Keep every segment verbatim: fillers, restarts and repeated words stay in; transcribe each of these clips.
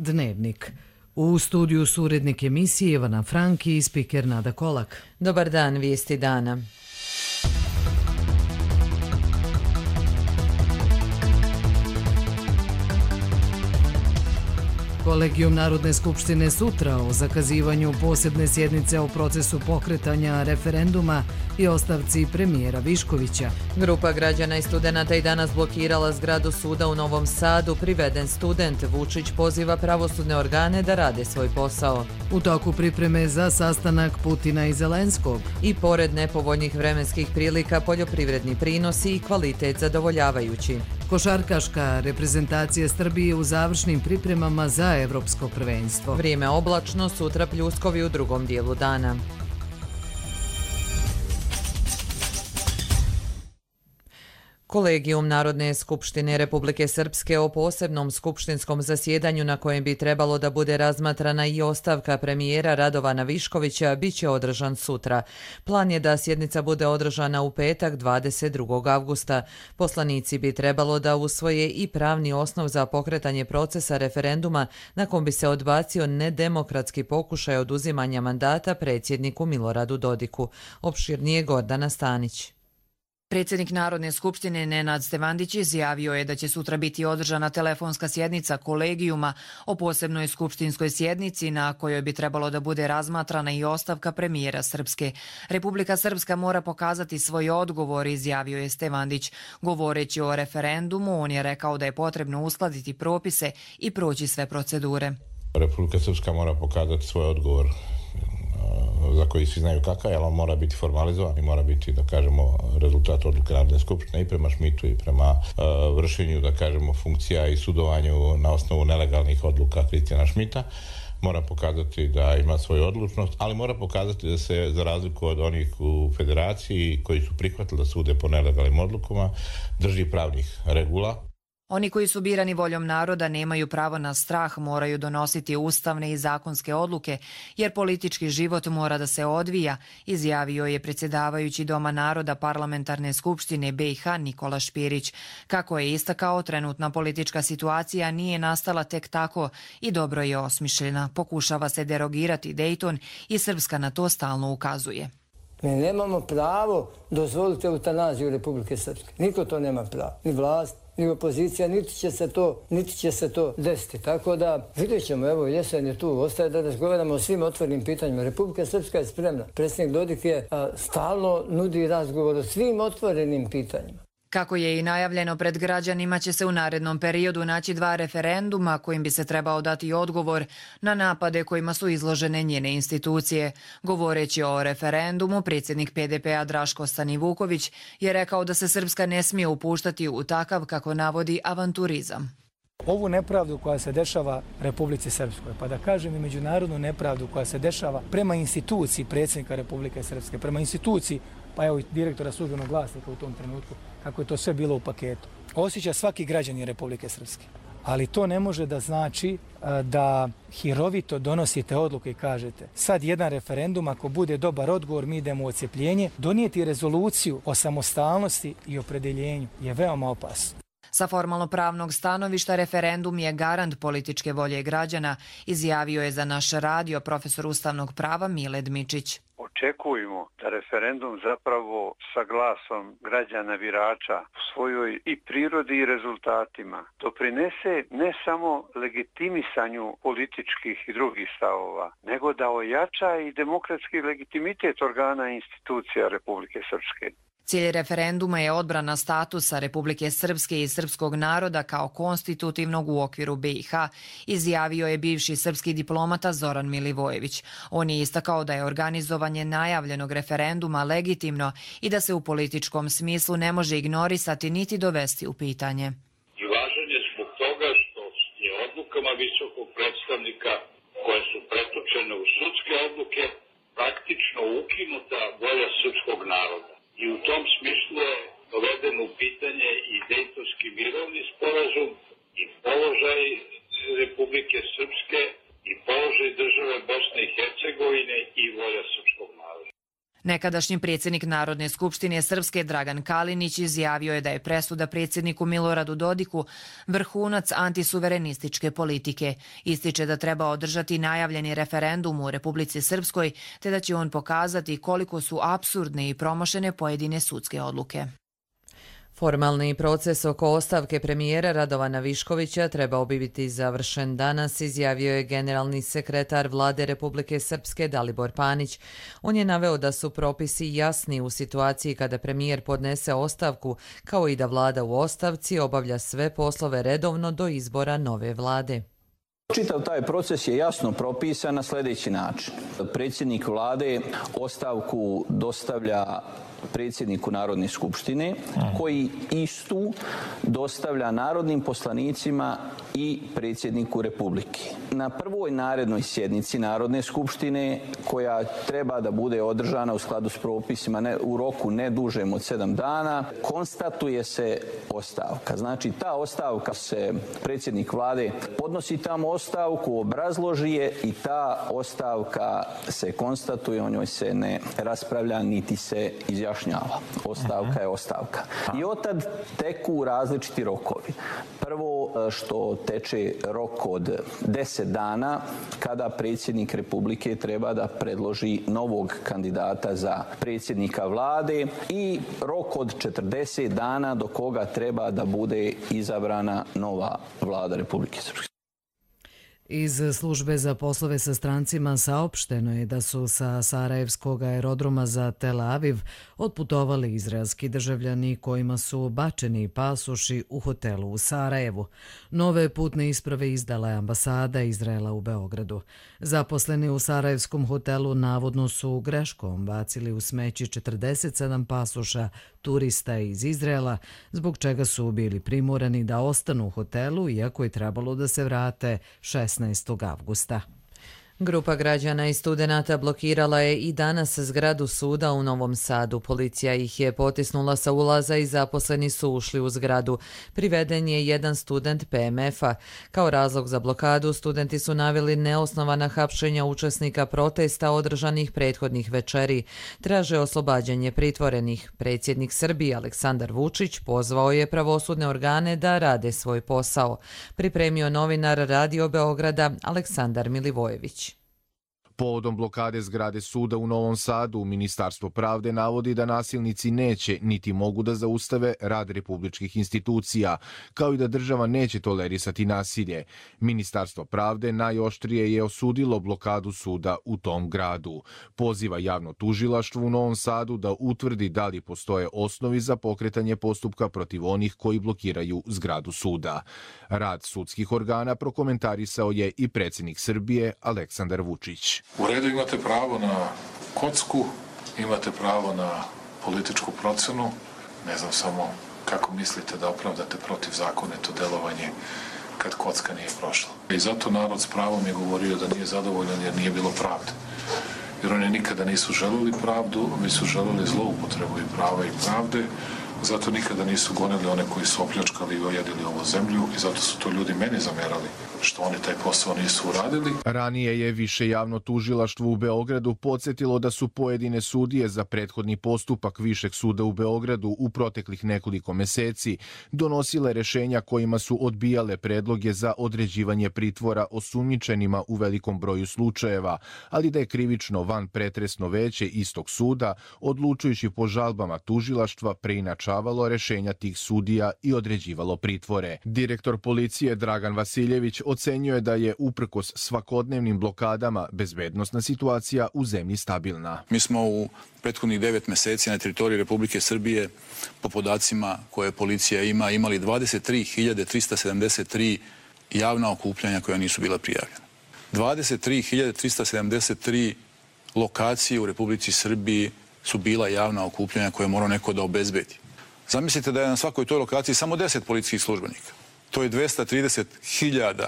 Dnevnik. U studiju su urednik emisije Ivana Franki i spiker Nada Kolak. Dobar dan, vijesti dana. Kolegijum Narodne skupštine sutra o zakazivanju posebne sjednice o procesu pokretanja referenduma i ostavci premijera Viškovića. Grupa građana i studenata i danas blokirala zgradu suda u Novom Sadu. Priveden student Vučić poziva pravosudne organe da rade svoj posao. U toku pripreme za sastanak Putina i Zelenskog. I pored nepovoljnih vremenskih prilika, poljoprivredni prinosi i kvalitet zadovoljavajući. Košarkaška reprezentacija Srbije u završnim pripremama za evropsko prvenstvo. Vrijeme oblačno, sutra pljuskovi u drugom dijelu dana. Kolegijum Narodne skupštine Republike Srpske o posebnom skupštinskom zasjedanju na kojem bi trebalo da bude razmatrana i ostavka premijera Radovana Viškovića bit će održan sutra. Plan je da sjednica bude održana u petak dvadeset drugog avgusta. Poslanici bi trebalo da usvoje i pravni osnov za pokretanje procesa referenduma na kom bi se odbacio nedemokratski pokušaj oduzimanja mandata predsjedniku Miloradu Dodiku. Opširnije Gordana Stanić. Predsjednik Narodne skupštine Nenad Stevandić izjavio je da će sutra biti održana telefonska sjednica kolegijuma o posebnoj skupštinskoj sjednici na kojoj bi trebalo da bude razmatrana i ostavka premijera Srpske. Republika Srpska mora pokazati svoj odgovor, izjavio je Stevandić. Govoreći o referendumu, on je rekao da je potrebno uskladiti propise i proći sve procedure. Republika Srpska mora pokazati svoj odgovor za koji svi znaju kakav je, ali on mora biti formalizovan i mora biti, da kažemo, rezultat odluke Narodne skupštine i prema Šmitu i prema uh, vršenju, da kažemo, funkcija i sudovanju na osnovu nelegalnih odluka Kristijana Šmita. Mora pokazati da ima svoju odlučnost, ali mora pokazati da se, za razliku od onih u federaciji koji su prihvatili da sude po nelegalnim odlukama, drži pravnih regula. Oni koji su birani voljom naroda nemaju pravo na strah, moraju donositi ustavne i zakonske odluke, jer politički život mora da se odvija, izjavio je predsjedavajući Doma naroda Parlamentarne skupštine B i H Nikola Špirić. Kako je istakao, trenutna politička situacija nije nastala tek tako i dobro je osmišljena. Pokušava se derogirati Dejton i Srpska na to stalno ukazuje. Mi nemamo pravo dozvoliti eutanaziju Republike Srpske. Niko to nema pravo. Ni vlast, ni opozicija, niti će se to, niti će se to desiti. Tako da vidjet ćemo, evo jesen je tu, ostaje da razgovaramo o svim otvorenim pitanjima. Republika Srpska je spremna. Predsjednik Dodik je a, stalno nudi razgovor o svim otvorenim pitanjima. Kako je i najavljeno pred građanima, će se u narednom periodu naći dva referenduma kojim bi se trebao dati odgovor na napade kojima su izložene njene institucije. Govoreći o referendumu, predsjednik P D P-a Draško Stanivuković je rekao da se Srpska ne smije upuštati u takav, kako navodi, avanturizam. Ovu nepravdu koja se dešava Republici Srpskoj, pa da kažem i međunarodnu nepravdu koja se dešava prema instituciji predsjednika Republike Srpske, prema instituciji, pa evo i direktora Službenog glasnika u tom trenutku, kako je to sve bilo u paketu. Osjeća svaki građanin Republike Srpske. Ali to ne može da znači da hirovito donosite odluke i kažete sad jedan referendum, ako bude dobar odgovor, mi idemo u odcepljenje. Donijeti rezoluciju o samostalnosti i opredeljenju je veoma opasno. Sa formalno-pravnog stanovišta referendum je garant političke volje građana, izjavio je za naš radio profesor ustavnog prava Mile Dmičić. Očekujemo da referendum zapravo sa glasom građana birača u svojoj i prirodi i rezultatima doprinese ne samo legitimisanju političkih i drugih stavova, nego da ojača i demokratski legitimitet organa i institucija Republike Srpske. Cilj referenduma je odbrana statusa Republike Srpske i srpskog naroda kao konstitutivnog u okviru B i H, izjavio je bivši srpski diplomata Zoran Milivojević. On je istakao da je organizovanje najavljenog referenduma legitimno i da se u političkom smislu ne može ignorisati niti dovesti u pitanje. I važan je zbog toga što je odlukama visokog predstavnika koje su pretočene u sudske odluke praktično ukinuta volja srpskog naroda. I u tom smislu je doveden u pitanje i Dejtonski mirovni sporazum i položaj Republike Srpske i položaj države Bosne i Hercegovine i volja srpskog naroda. Nekadašnji predsjednik Narodne skupštine Srpske Dragan Kalinić izjavio je da je presuda predsjedniku Miloradu Dodiku vrhunac antisuverenističke politike. Ističe da treba održati najavljeni referendum u Republici Srpskoj, te da će on pokazati koliko su apsurdne i promašene pojedine sudske odluke. Formalni proces oko ostavke premijera Radovana Viškovića trebao bi biti završen danas, izjavio je generalni sekretar Vlade Republike Srpske Dalibor Panić. On je naveo da su propisi jasni u situaciji kada premijer podnese ostavku, kao i da vlada u ostavci obavlja sve poslove redovno do izbora nove vlade. Čitav taj proces je jasno propisan na sljedeći način. Predsjednik vlade ostavku dostavlja predsjedniku Narodne skupštine, koji istu dostavlja narodnim poslanicima i predsjedniku Republike. Na prvoj narednoj sjednici Narodne skupštine, koja treba da bude održana u skladu s propisima ne, u roku ne dužem od sedam dana, konstatuje se ostavka. Znači, ta ostavka se, predsjednik vlade podnosi tamo ostavku, obrazloži je i ta ostavka se konstatuje, o njoj se ne raspravlja niti se izjašnjava. Ostavka je ostavka. I otad teku različiti rokovi. Prvo što teče rok od deset dana kada predsjednik Republike treba da predloži novog kandidata za predsjednika vlade i rok od četrdeset dana do koga treba da bude izabrana nova vlada Republike Srpske. Iz službe za poslove sa strancima saopšteno je da su sa Sarajevskog aerodroma za Tel Aviv otputovali izraelski državljani kojima su bačeni pasoši u hotelu u Sarajevu. Nove putne isprave izdala je ambasada Izraela u Beogradu. Zaposleni u sarajevskom hotelu navodno su greškom bacili u smeće četrdeset sedam pasoša turista iz Izraela, zbog čega su bili primorani da ostanu u hotelu, iako je trebalo da se vrate šesnaestog avgusta. Grupa građana i studenata blokirala je i danas zgradu suda u Novom Sadu. Policija ih je potisnula sa ulaza i zaposleni su ušli u zgradu. Priveden je jedan student P M F-a. Kao razlog za blokadu studenti su naveli neosnovana hapšenja učesnika protesta održanih prethodnih večeri. Traže oslobađanje pritvorenih. Predsjednik Srbije Aleksandar Vučić pozvao je pravosudne organe da rade svoj posao. Pripremio novinar Radio Beograda Aleksandar Milivojević. Povodom blokade zgrade suda u Novom Sadu, Ministarstvo pravde navodi da nasilnici neće niti mogu da zaustave rad republičkih institucija, kao i da država neće tolerisati nasilje. Ministarstvo pravde najoštrije je osudilo blokadu suda u tom gradu. Poziva javno tužilaštvo u Novom Sadu da utvrdi da li postoje osnovi za pokretanje postupka protiv onih koji blokiraju zgradu suda. Rad sudskih organa prokomentarisao je i predsjednik Srbije Aleksandar Vučić. U redu, imate pravo na kocku, imate pravo na političku procenu, ne znam samo kako mislite da opravdate protivzakonito delovanje kad kocka nije prošla. I zato narod s pravom je govorio da nije zadovoljan jer nije bilo pravde. Jer oni nikada nisu želeli pravdu, već su želeli zloupotrebu i prava i pravde, zato nikada nisu gonili one koji su opljačkali i ojadili ovu zemlju i zato su to ljudi meni zamerali što oni taj posao nisu uradili. Ranije je više javno tužilaštvo u Beogradu podsjetilo da su pojedine sudije za prethodni postupak Višeg suda u Beogradu u proteklih nekoliko meseci donosile rešenja kojima su odbijale predloge za određivanje pritvora osumnjičenima u velikom broju slučajeva, ali da je krivično van pretresno veće istog suda, odlučujući po žalbama tužilaštva, preinačavalo rešenja tih sudija i određivalo pritvore. Direktor policije Dragan Vasiljević ocenjuje da je uprkos svakodnevnim blokadama bezbednosna situacija u zemlji stabilna. Mi smo u prethodnih devet meseci na teritoriji Republike Srbije po podacima koje policija ima imali dvadeset tri hiljade trista sedamdeset tri javna okupljanja koja nisu bila prijavljena. dvadeset tri hiljade trista sedamdeset tri lokacije u Republici Srbiji su bila javna okupljanja koje mora neko da obezbedi. Zamislite da je na svakoj toj lokaciji samo deset policijskih službenika. To je dvesta trideset hiljada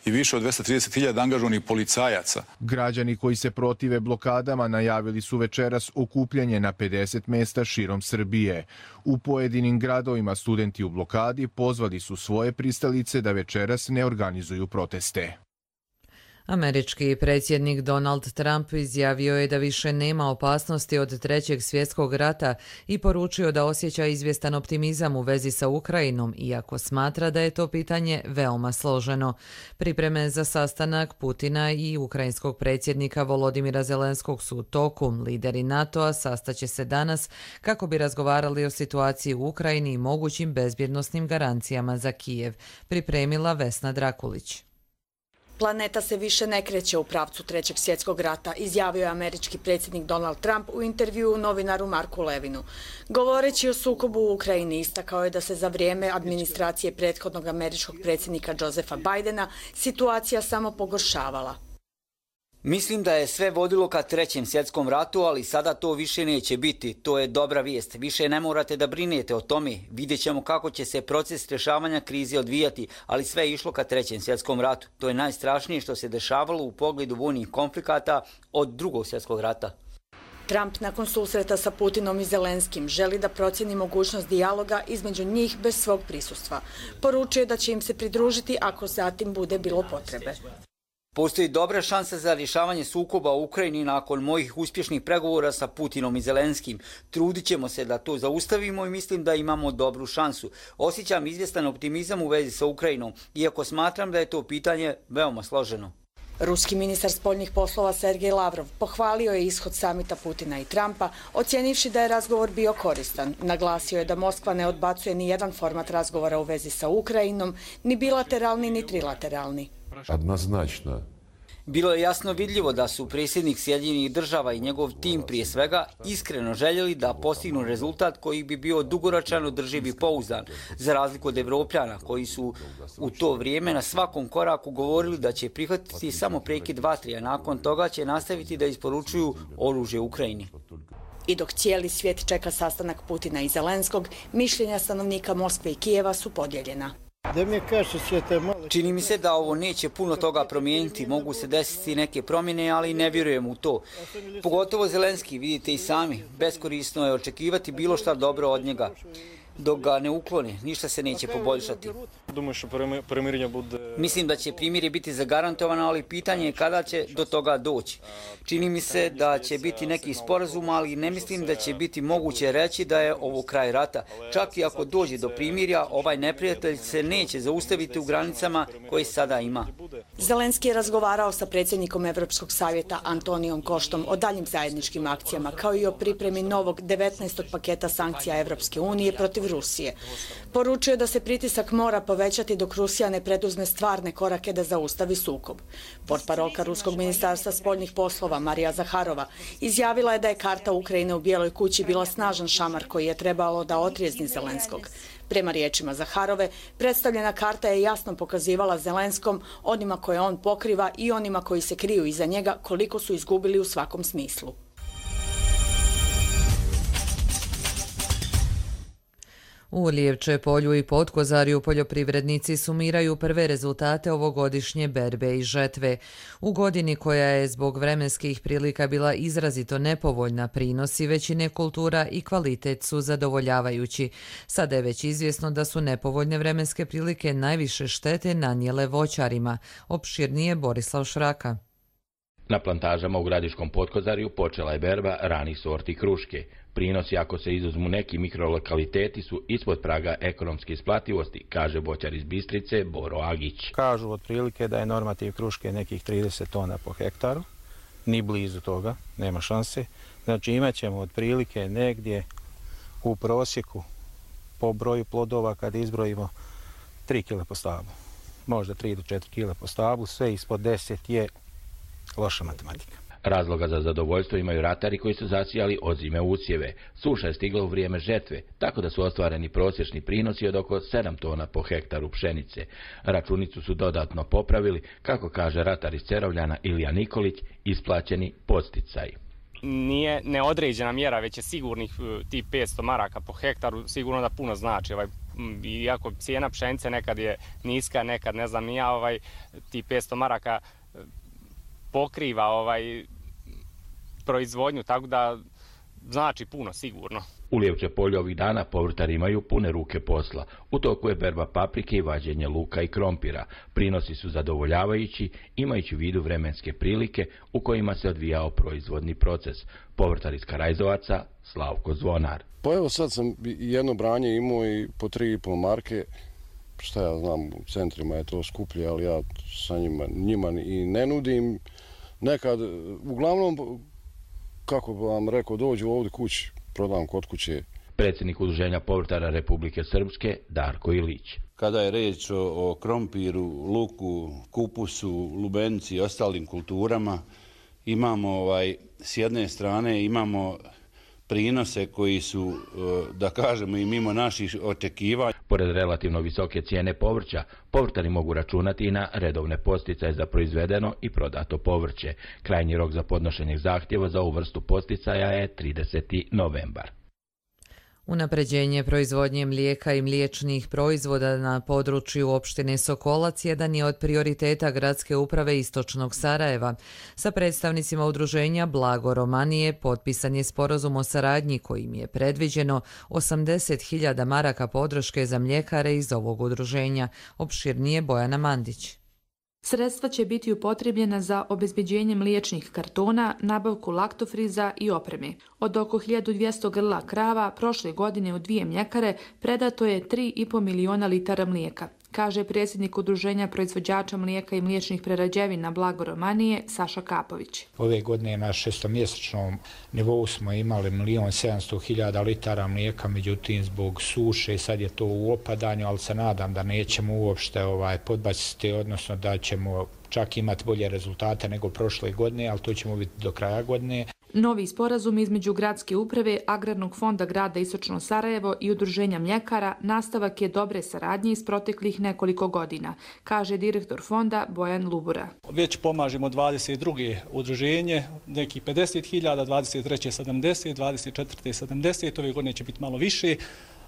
i više od dvesta trideset hiljada angažovanih policajaca. Građani koji se protive blokadama najavili su večeras okupljanje na pedeset mesta širom Srbije. U pojedinim gradovima studenti u blokadi pozvali su svoje pristalice da večeras ne organizuju proteste. Američki predsjednik Donald Trump izjavio je da više nema opasnosti od trećeg svjetskog rata i poručio da osjeća izvjestan optimizam u vezi sa Ukrajinom, iako smatra da je to pitanje veoma složeno. Pripreme za sastanak Putina i ukrajinskog predsjednika Volodimira Zelenskog su u toku. Lideri NATO-a sastaće se danas kako bi razgovarali o situaciji u Ukrajini i mogućim bezbjednosnim garancijama za Kijev, pripremila Vesna Drakulić. Planeta se više ne kreće u pravcu trećeg svjetskog rata, izjavio je američki predsjednik Donald Trump u intervjuu novinaru Marku Levinu. Govoreći o sukobu u Ukrajini, istakao je da se za vrijeme administracije prethodnog američkog predsjednika Josepha Bidena situacija samo pogoršavala. Mislim da je sve vodilo ka trećem svjetskom ratu, ali sada to više neće biti. To je dobra vijest. Više ne morate da brinete o tome. Vidjet ćemo kako će se proces rješavanja krize odvijati, ali sve je išlo ka trećem svjetskom ratu. To je najstrašnije što se dešavalo u pogledu vojnih konflikata od drugog svjetskog rata. Trump nakon susreta sa Putinom i Zelenskim želi da procjeni mogućnost dijaloga između njih bez svog prisustva. Poručio je da će im se pridružiti ako zatim bude bilo potrebe. Postoji dobra šansa za rješavanje sukoba u Ukrajini nakon mojih uspješnih pregovora sa Putinom i Zelenskim. Trudit ćemo se da to zaustavimo i mislim da imamo dobru šansu. Osjećam izvjestan optimizam u vezi sa Ukrajinom, iako smatram da je to pitanje veoma složeno. Ruski ministar spoljnih poslova Sergej Lavrov pohvalio je ishod samita Putina i Trumpa, ocjenivši da je razgovor bio koristan. Naglasio je da Moskva ne odbacuje ni jedan format razgovora u vezi sa Ukrajinom, ni bilateralni ni trilateralni. Однозначно. Bilo je jasno vidljivo da su predsjednik Sjedinjenih država i njegov tim prije svega iskreno željeli da postignu rezultat koji bi bio dugoročan, održiv i pouzdan, za razliku od Evropljana koji su u to vrijeme na svakom koraku govorili da će prihvatiti samo prekid vatre, a nakon toga će nastaviti da isporučuju oružje Ukrajini. I dok cijeli svijet čeka sastanak Putina i Zelenskog, mišljenja stanovnika Moskve i Kijeva su podijeljena. Čini mi se da ovo neće puno toga promijeniti, mogu se desiti neke promjene, ali ne vjerujem u to. Pogotovo Zelenski, vidite i sami, beskorisno je očekivati bilo šta dobro od njega. Dok ga ne uklone, ništa se neće poboljšati. Mislim da će primirje biti zagarantovano, ali pitanje je kada će do toga doći. Čini mi se da će biti neki sporazum, ali ne mislim da će biti moguće reći da je ovo kraj rata. Čak i ako dođe do primirja, ovaj neprijatelj se neće zaustaviti u granicama koje sada ima. Zelenski je razgovarao sa predsjednikom Europskog savjeta Antonijom Koštom o daljim zajedničkim akcijama, kao i o pripremi novog devetnaestog paketa sankcija Europske unije protiv Rusije. Poručio je da se pritisak mora povećati dok Rusija ne preduzme stvarne korake da zaustavi sukob. Portparolka Ruskog ministarstva spoljnih poslova Marija Zaharova izjavila je da je karta Ukrajine u Bijeloj kući bila snažan šamar koji je trebalo da otrijezni Zelenskog. Prema riječima Zaharove, predstavljena karta je jasno pokazivala Zelenskom, onima koje on pokriva i onima koji se kriju iza njega, koliko su izgubili u svakom smislu. U Lijevče polju i Potkozarju poljoprivrednici sumiraju prve rezultate ovogodišnje berbe i žetve. U godini koja je zbog vremenskih prilika bila izrazito nepovoljna, prinosi većine kultura i kvalitet su zadovoljavajući. Sada je već izvjesno da su nepovoljne vremenske prilike najviše štete nanijele voćarima. Opširnije Borislav Šraka. Na plantažama u Gradiškom Potkozarju počela je berba ranih sorti kruške. Prinosi, ako se izuzmu neki mikrolokaliteti, su ispod praga ekonomske isplativosti, kaže voćar iz Bistrice Boro Agić. Kažu otprilike da je normativ kruške nekih trideset tona po hektaru, ni blizu toga, nema šanse. Znači imat ćemo otprilike negdje u prosjeku po broju plodova kad izbrojimo tri kile po stablu. Možda tri do četiri kile po stablu, sve ispod deset je loša matematika. Razloga za zadovoljstvo imaju ratari koji su zasijali ozime usjeve. Suša je stigla u vrijeme žetve, tako da su ostvareni prosječni prinosi od oko sedam tona po hektaru pšenice. Računicu su dodatno popravili, kako kaže ratar iz Cerovljana Ilija Nikolić, isplaćeni podsticaj. Nije neodređena mjera, već je sigurnih tih petsto maraka po hektaru, sigurno da puno znači. Ovaj, iako cijena pšenice nekad je niska, nekad ne znam ni ja, ovaj, tih petsto maraka pokriva ovaj proizvodnju, tako da znači puno sigurno. U Lijevče polju ovih dana povrtari imaju pune ruke posla. U toku je berba paprike i vađenje luka i krompira. Prinosi su zadovoljavajući, imajući u vidu vremenske prilike u kojima se odvijao proizvodni proces. Povrtar iz Karajzovaca, Slavko Zvonar. Pa evo sad sam jedno branje imao i po tri i pol marke. Šta ja znam, u centrima je to skuplje, ali ja sa njima, njima i ne nudim. Nekad, uglavnom, kako bi vam rekao, dođu ovdje kući, prodam kod kuće. Predsjednik Udruženja povrtara Republike Srpske, Darko Ilić. Kada je reč o, o krompiru, luku, kupusu, lubenici i ostalim kulturama, imamo ovaj, s jedne strane imamo prinose koji su, da kažemo, i mimo naših očekivanja. Pored relativno visoke cijene povrća, povrtari mogu računati i na redovne posticaje za proizvedeno i prodato povrće. Krajnji rok za podnošenje zahtjeva za ovu vrstu posticaja je trideseti novembar. Unapređenje proizvodnje mlijeka i mliječnih proizvoda na području opštine Sokolac jedan je od prioriteta Gradske uprave Istočnog Sarajeva. Sa predstavnicima udruženja Blago Romanije potpisan je sporazum o saradnji kojim je predviđeno osamdeset hiljada maraka podrške za mljekare iz ovog udruženja. Opširnije Bojana Mandić. Sredstva će biti upotrebljena za obezbeđenje mliječnih kartona, nabavku laktofriza i opreme. Od oko hiljadu dvjesto grla krava prošle godine u dvije mljekare predato je tri i po miliona litara mlijeka, kaže predsjednik Udruženja proizvođača mlijeka i mliječnih prerađevina Blago Romanije Saša Kapović. Ove godine na šestomjesečnom nivou smo imali milion sedamsto hiljada litara mlijeka, međutim zbog suše sad je to u opadanju, ali se nadam da nećemo uopšte ovaj, podbaciti, odnosno da ćemo čak imati bolje rezultate nego prošle godine, ali to ćemo vidjeti do kraja godine. Novi sporazum između Gradske uprave, Agrarnog fonda grada Istočno Sarajevo i Udruženja mljekara nastavak je dobre saradnje iz proteklih nekoliko godina, kaže direktor fonda Bojan Lubura. Već pomažemo dvadeset druge udruženje, neki pedeset hiljada, dvadeset treće sedamdeset, dvadeset četvrte sedamdeset, ove godine će biti malo više.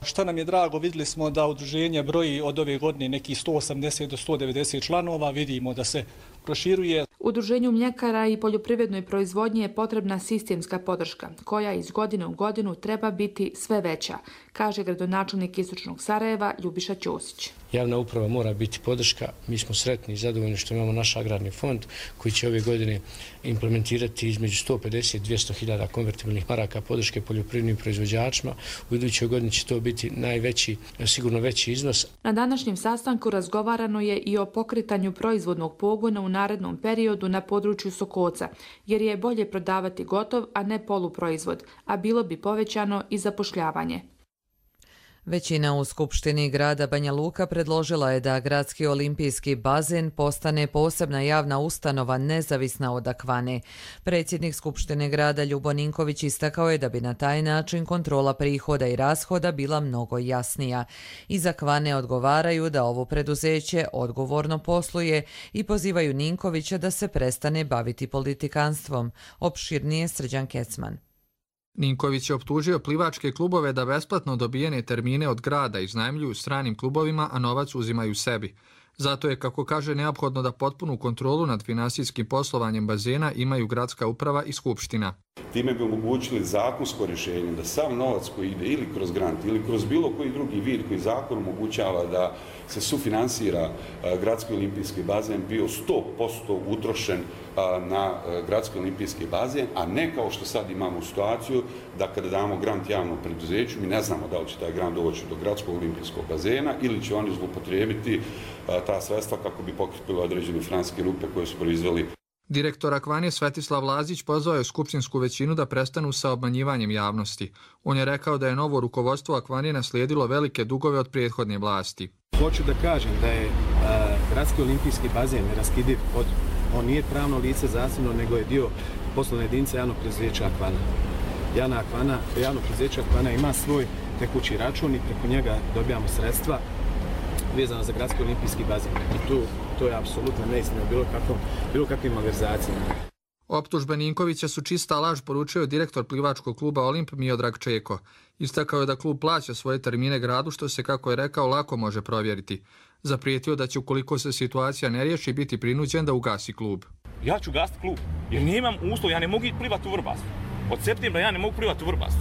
Što nam je drago, vidjeli smo da udruženje broji od ove godine neki sto osamdeset do sto devedeset članova, vidimo da se proširuje. Udruženju mljekara i poljoprivrednoj proizvodnji je potrebna sistemska podrška, koja iz godine u godinu treba biti sve veća, kaže gradonačelnik Istočnog Sarajeva Ljubiša Ćosić. Javna uprava mora biti podrška. Mi smo sretni i zadovoljni što imamo naš agrarni fond koji će ove godine implementirati između sto pedeset do dvjesto hiljada konvertibilnih maraka podrške poljoprivrednim proizvođačima. U idućoj godini će to biti najveći, sigurno veći iznos. Na današnjem sastanku razgovarano je i o pokretanju proizvodnog pogona u narednom periodu na području Sokoca, jer je bolje prodavati gotov, a ne poluproizvod, a bilo bi povećano i zapošljavanje. Većina u Skupštini grada Banja Luka predložila je da Gradski olimpijski bazen postane posebna javna ustanova nezavisna od Akvane. Predsjednik Skupštine grada Ljubo Ninković istakao je da bi na taj način kontrola prihoda i rashoda bila mnogo jasnija. Iz Akvane odgovaraju da ovo preduzeće odgovorno posluje i pozivaju Ninkovića da se prestane baviti politikanstvom. Opširnije Srđan Kecman. Ninković je optužio plivačke klubove da besplatno dobijene termine od grada iznajmljuju stranim klubovima, a novac uzimaju sebi. Zato je, kako kaže, neophodno da potpunu kontrolu nad finansijskim poslovanjem bazena imaju gradska uprava i skupština. Time bi omogućili zakonsko rješenje da sav novac koji ide ili kroz grant ili kroz bilo koji drugi vid koji zakon omogućava da se sufinansira Gradski olimpijski bazen bio sto posto utrošen na Gradski olimpijski bazen, a ne kao što sad imamo situaciju da kada damo grant javnom preduzeću, mi ne znamo da li će taj grant doći do Gradskog olimpijskog bazena ili će oni zloupotrijebiti ta sredstva kako bi pokrpili određene financijske rupe koje su proizveli. Direktor Akvane Svetislav Lazić pozvao je skupštinsku većinu da prestanu sa obmanjivanjem javnosti. On je rekao da je novo rukovodstvo Akvane naslijedilo velike dugove od prethodne vlasti. Hoću da kažem da je a, Gradski olimpijski bazen neraskidiv od, on nije pravno lice zasebno, nego je dio poslovne jedinice javnog preduzeća Akvana. Javna Akvana, javno preduzeće Akvana ima svoj tekući račun i preko njega dobijamo sredstva vezano za Gradski olimpijski bazen. I tu to je apsolutno neistina bilo kakvom, bilo kakvim malverzacijama. Optužbe Ninkovića su čista laž, poručio direktor plivačkog kluba Olimp Miodrag Čeko. Istakao je da klub plaća svoje termine gradu, što se, kako je rekao, lako može provjeriti. Zaprijetio da će, ukoliko se situacija ne riješi, biti prinuđen da ugasi klub. Ja ću gasiti klub, jer nemam uslov, ja ne mogu plivati u Vrbasu. Od septembra ja ne mogu plivati u Vrbasu.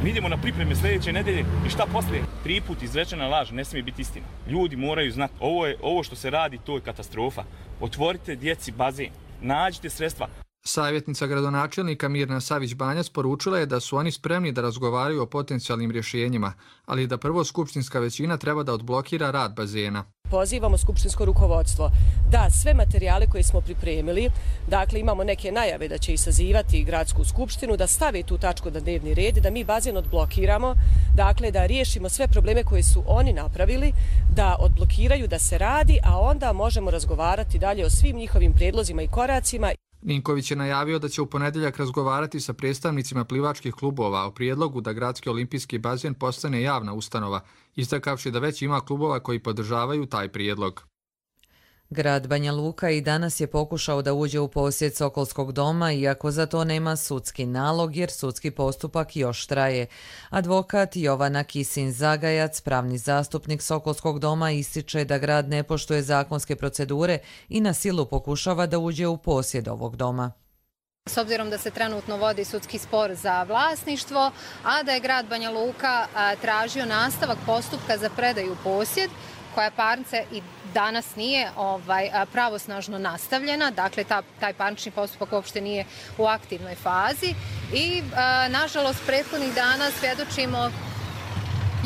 Mi idemo na pripreme sljedeće nedelje i šta poslije? Tri put izrečena laž ne smije biti istina. Ljudi moraju znati, ovo, je, ovo što se radi, to je katastrofa. Otvorite djeci bazen, nađite sredstva. Savjetnica gradonačelnika Mirna Savić-Banjac poručila je da su oni spremni da razgovaraju o potencijalnim rješenjima, ali da prvo skupštinska većina treba da odblokira rad bazena. Pozivamo skupštinsko rukovodstvo da sve materijale koje smo pripremili, dakle imamo neke najave da će i sazivati gradsku skupštinu, da stave tu tačku na dnevni red, da mi bazen odblokiramo, dakle da riješimo sve probleme koje su oni napravili, da odblokiraju, da se radi, a onda možemo razgovarati dalje o svim njihovim prijedlozima i koracima. Ninković je najavio da će u ponedjeljak razgovarati sa predstavnicima plivačkih klubova o prijedlogu da Gradski olimpijski bazen postane javna ustanova, istakavši da već ima klubova koji podržavaju taj prijedlog. Grad Banja Luka i danas je pokušao da uđe u posjed Sokolskog doma, iako za to nema sudski nalog, jer sudski postupak još traje. Advokat Jovana Kisin-Zagajac, pravni zastupnik Sokolskog doma, ističe da grad ne poštuje zakonske procedure i na silu pokušava da uđe u posjed ovog doma. S obzirom da se trenutno vodi sudski spor za vlasništvo, a da je grad Banja Luka tražio nastavak postupka za predaju u posjed, koja parnica i danas nije ovaj, pravosnažno nastavljena, dakle ta, taj parnični postupak uopšte nije u aktivnoj fazi i a, nažalost prethodnih dana svjedočimo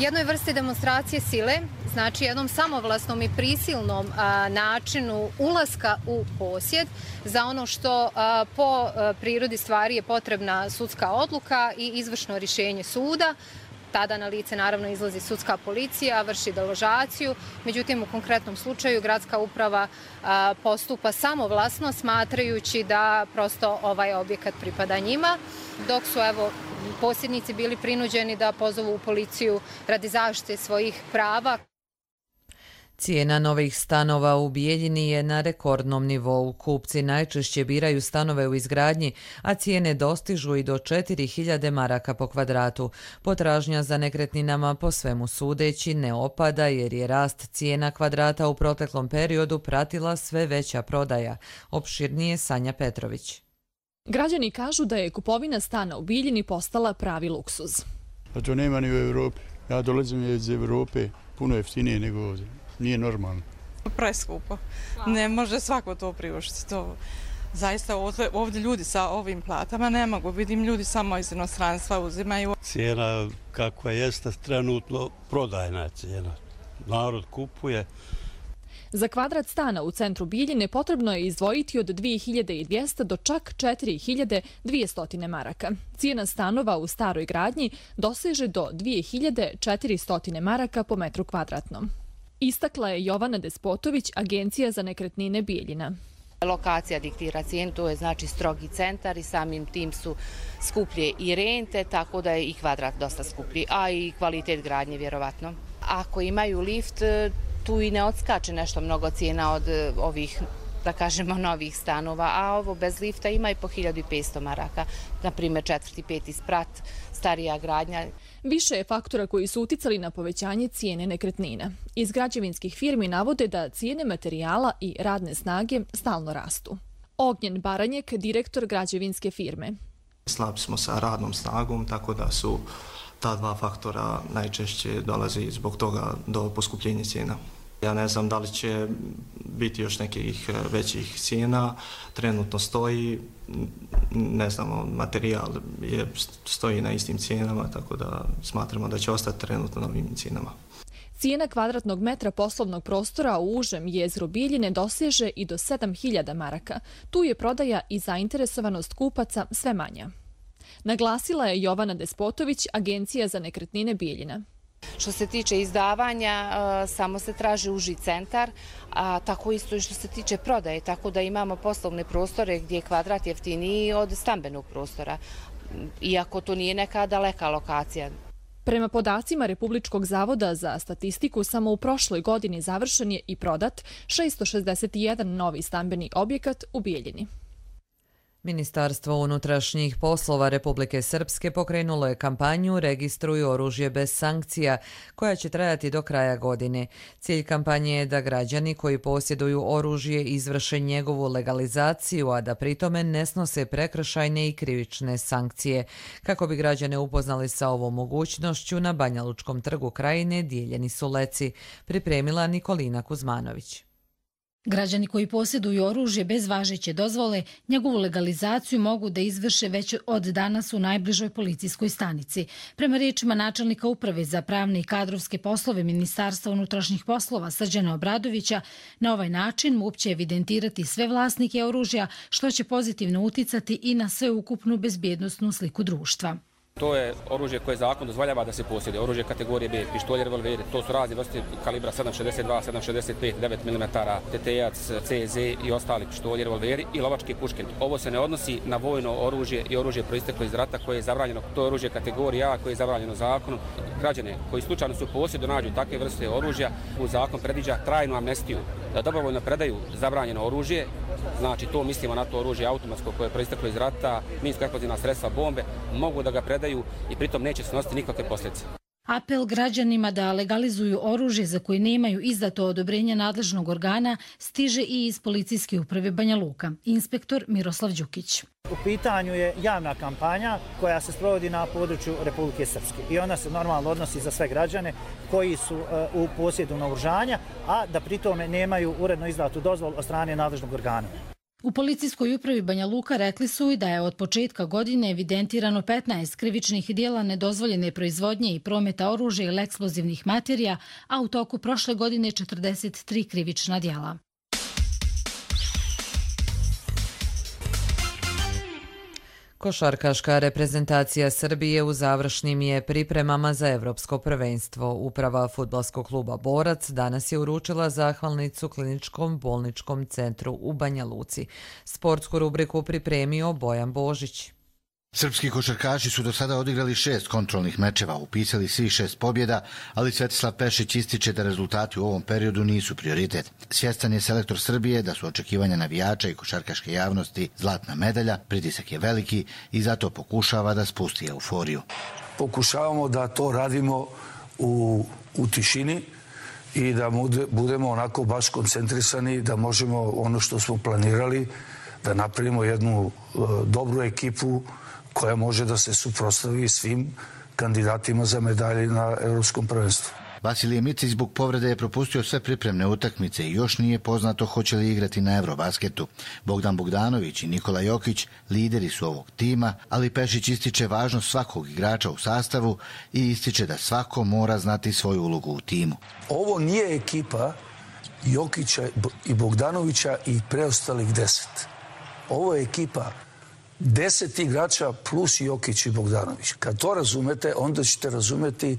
jednoj vrsti demonstracije sile, znači jednom samovlasnom i prisilnom a, načinu ulaska u posjed za ono što a, po a, prirodi stvari je potrebna sudska odluka i izvršno rješenje suda. Tada na lice naravno izlazi sudska policija, vrši deložaciju, međutim u konkretnom slučaju gradska uprava a, postupa samovlasno smatrajući da prosto ovaj objekat pripada njima, dok su evo posjednici bili prinuđeni da pozovu policiju radi zaštite svojih prava. Cijena novih stanova u Bijeljini je na rekordnom nivou. Kupci najčešće biraju stanove u izgradnji, a cijene dostižu i do četiri hiljade maraka po kvadratu. Potražnja za nekretninama po svemu sudeći ne opada jer je rast cijena kvadrata u proteklom periodu pratila sve veća prodaja. Opširnije Sanja Petrović. Građani kažu da je kupovina stana u Bijeljini postala pravi luksuz. Pa to nema ni u Evropi. Ja dolazim iz Evrope, puno jeftinije nego ovdje. Nije normalno. Preskupo. Ne može svako to priuštiti. To zaista ovdje, ovdje ljudi sa ovim platama ne mogu. Vidim ljudi samo iz inostranstva uzimaju. Cijena kakva jeste trenutno prodajna cijena. Narod kupuje. Za kvadrat stana u centru Bijeljine potrebno je izdvojiti od dvije hiljade dvjesto do čak četiri hiljade dvjesto maraka. Cijena stanova u staroj gradnji doseže do dvije hiljade četiristo maraka po metru kvadratnom. Istakla je Jovana Despotović, Agencija za nekretnine Bijeljina. Lokacija diktira cijenu, to je znači strogi centar i samim tim su skuplje i rente, tako da je i kvadrat dosta skuplji, a i kvalitet gradnje vjerovatno. Ako imaju lift, tu i ne odskače nešto mnogo cijena od ovih, da kažemo, novih stanova, a ovo bez lifta ima i po hiljadu petsto maraka, na primjer četvrti, peti sprat, starija gradnja. Više je faktora koji su uticali na povećanje cijene nekretnina. Iz građevinskih firmi navode da cijene materijala i radne snage stalno rastu. Ognjen Baranjek, direktor građevinske firme. Slabi smo sa radnom snagom, tako da su ta dva faktora najčešće dolazi zbog toga do poskupljenja cijena. Ja ne znam da li će biti još nekih većih cijena, trenutno stoji, ne znamo, materijal je, stoji na istim cijenama, tako da smatramo da će ostati trenutno na ovim cijenama. Cijena kvadratnog metra poslovnog prostora u užem jezgru Bijeljine doseže i do sedam hiljada maraka. Tu je prodaja i zainteresovanost kupaca sve manja. Naglasila je Jovana Despotović, Agencija za nekretnine Bijeljina. Što se tiče izdavanja, samo se traži uži centar, a tako isto i što se tiče prodaje, tako da imamo poslovne prostore gdje je kvadrat jeftiniji od stambenog prostora, iako to nije neka daleka lokacija. Prema podacima Republičkog zavoda za statistiku, samo u prošloj godini završen je i prodat šesto šezdeset jedan novi stambeni objekat u Bijeljini. Ministarstvo unutrašnjih poslova Republike Srpske pokrenulo je kampanju Registruj oružje bez sankcija, koja će trajati do kraja godine. Cilj kampanje je da građani koji posjeduju oružje izvrše njegovu legalizaciju, a da pritome ne snose prekršajne i krivične sankcije. Kako bi građane upoznali sa ovom mogućnošću, na Banjalučkom trgu Krajine dijeljeni su leci, pripremila Nikolina Kuzmanović. Građani koji posjeduju oružje bez važeće dozvole, njegovu legalizaciju mogu da izvrše već od danas u najbližoj policijskoj stanici. Prema riječima načelnika uprave za pravne i kadrovske poslove Ministarstva unutrašnjih poslova Srđana Obradovića, na ovaj način MUP će evidentirati sve vlasnike oružja, što će pozitivno uticati i na sveukupnu bezbjednosnu sliku društva. To je oružje koje zakon dozvoljava da se posjeduje. Oružje kategorije B, pištolje, revolveri, to su razne vrste kalibra sedam šezdeset dva, sedam šezdeset pet, devet milimetara, T T A C, C Z i ostali pištolje, revolveri i lovačke puške. Ovo se ne odnosi na vojno oružje i oružje proisteklo iz rata koje je zabranjeno. To je oružje kategorije A koje je zabranjeno zakonom. Građane koji slučajno su u posjedu nađu takve vrste oružja, u zakon predviđa trajnu amnestiju da dobrovoljno predaju zabranjeno oružje. Znači to mislimo na to oružje automatsko koje je proisteklo iz rata, minsko-eksplozivna sredstva, bombe, mogu da ga predaju i pritom neće snositi nikakve posljedice. Apel građanima da legalizuju oružje za koje nemaju izdato odobrenje nadležnog organa stiže i iz policijske uprave Banja Luka. Inspektor Miroslav Đukić. U pitanju je javna kampanja koja se sprovodi na području Republike Srpske i ona se normalno odnosi za sve građane koji su u posjedu naoružanja, a da pritome nemaju uredno izdatu dozvolu od strane nadležnog organa. U policijskoj upravi Banja Luka rekli su i da je od početka godine evidentirano petnaest krivičnih djela nedozvoljene proizvodnje i prometa oružja ili eksplozivnih materija, a u toku prošle godine četrdeset tri krivična djela. Košarkaška reprezentacija Srbije u završnim je pripremama za Evropsko prvenstvo. Uprava fudbalskog kluba Borac danas je uručila zahvalnicu Kliničkom bolničkom centru u Banja Luci. Sportsku rubriku pripremio Bojan Božić. Srpski košarkaši su do sada odigrali šest kontrolnih mečeva, upisali svih šest pobjeda, ali Svetislav Pešić ističe da rezultati u ovom periodu nisu prioritet. Svjestan je selektor Srbije da su očekivanja navijača i košarkaške javnosti zlatna medalja, pritisak je veliki i zato pokušava da spusti euforiju. Pokušavamo da to radimo u, u tišini i da budemo onako baš koncentrisani, da možemo ono što smo planirali, da napravimo jednu uh, dobru ekipu koja može da se suprotstavi svim kandidatima za medalje na Evropskom prvenstvu. Vasilije Micić zbog povrede je propustio sve pripremne utakmice i još nije poznato hoće li igrati na Eurobasketu. Bogdan Bogdanović i Nikola Jokić lideri su ovog tima, ali Pešić ističe važnost svakog igrača u sastavu i ističe da svako mora znati svoju ulogu u timu. Ovo nije ekipa Jokića i Bogdanovića i preostalih deset. Ovo je ekipa deset igrača plus Jokić i Bogdanović. Kad to razumete, onda ćete razumeti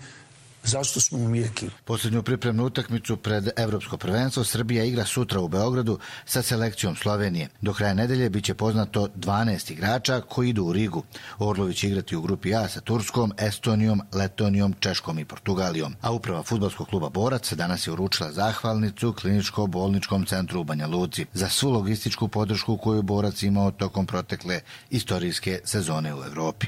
zašto smo mi ekipa. Posljednju pripremnu utakmicu pred Evropsko prvenstvo Srbija igra sutra u Beogradu sa selekcijom Slovenije. Do kraja nedelje bit će poznato dvanaest igrača koji idu u Rigu. Orlović će igrati u grupi A sa Turskom, Estonijom, Letonijom, Češkom i Portugalijom. A uprava fudbalskog kluba Borac danas je uručila zahvalnicu Kliničko-bolničkom centru u Banja Luci za svu logističku podršku koju Borac imao tokom protekle istorijske sezone u Evropi.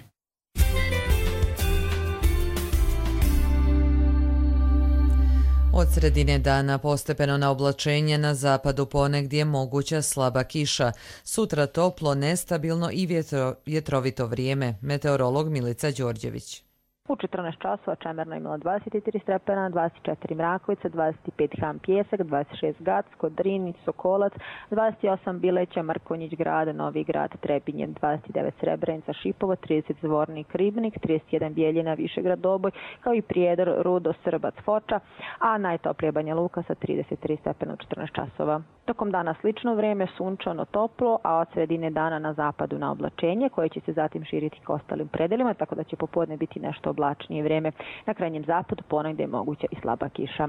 Od sredine dana postepeno na oblačenje, na zapadu ponegdje moguća slaba kiša. Sutra toplo, nestabilno i vjetro, vjetrovito vrijeme. Meteorolog Milica Đorđević. U četrnaest časova Čemerno imala dvadeset tri stepena, dvadeset četiri Mrakovica, dvadeset pet Ham Pjesak, dvadeset šest Gacko, Drin, Sokolac, dvadeset osam Bileća, Mrkonjić Grad, Novi Grad, Trebinje, dvadeset devet Srebrenica, Šipovo, trideset Zvornik, Ribnik, trideset jedan Bijeljina, Višegrad, Doboj, kao i Prijedor, Rudo, Srbac, Foča, a najtoplije Banja Luka sa trideset tri stepena u četrnaest časova. Tokom dana slično vrijeme, sunčano, toplo, a od sredine dana na zapadu na oblačenje, koje će se zatim širiti k ostalim predelima, tako da će popodne biti nešto oblačnije vrijeme. Na krajnjem zapadu ponegdje je moguća i slaba kiša.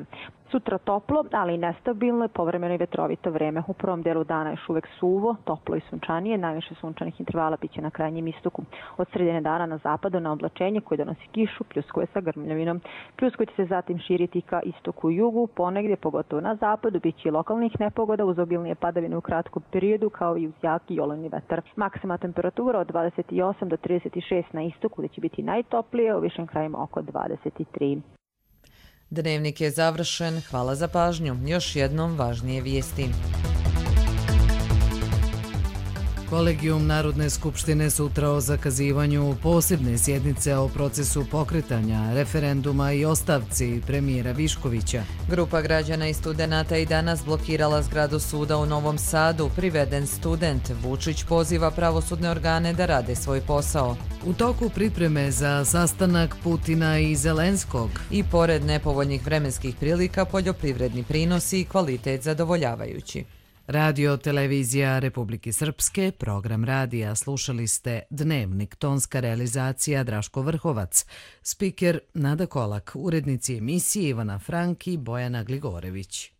Sutra toplo, ali i nestabilno, povremeno i vetrovito vrijeme. U prvom delu dana još uvek suvo, toplo i sunčanije, najviše sunčanih intervala biće na krajnjem istoku. Od sredine dana na zapadu na oblačenje koje donosi kišu, pljuskuje sa grmljavinom. Pljuskuje će se zatim širiti ka istoku i jugu, ponegdje, pogotovo na zapadu, biće i lokalnih nepogoda sreda uz obilnije padavine u kratkom periodu kao i uz jaki olujni vetar. Maksimalna temperatura od dvadeset osam do trideset šest na istoku gdje će biti najtoplije, u višim krajima oko dvadeset tri. Dnevnik je završen. Hvala za pažnju. Još jednom važnije vijesti. Kolegijum Narodne skupštine sutra o zakazivanju posebne sjednice o procesu pokretanja referenduma i ostavci premijera Viškovića. Grupa građana i studenata i danas blokirala zgradu suda u Novom Sadu. Priveden student. Vučić poziva pravosudne organe da rade svoj posao. U toku pripreme za sastanak Putina i Zelenskog. I pored nepovoljnih vremenskih prilika, poljoprivredni prinosi i kvalitet zadovoljavajući. Radio Televizija Republike Srpske, program radija, slušali ste Dnevnik, tonska realizacija Draško Vrhovac, spiker Nada Kolak, urednici emisije Ivana Frank i Bojana Gligorević.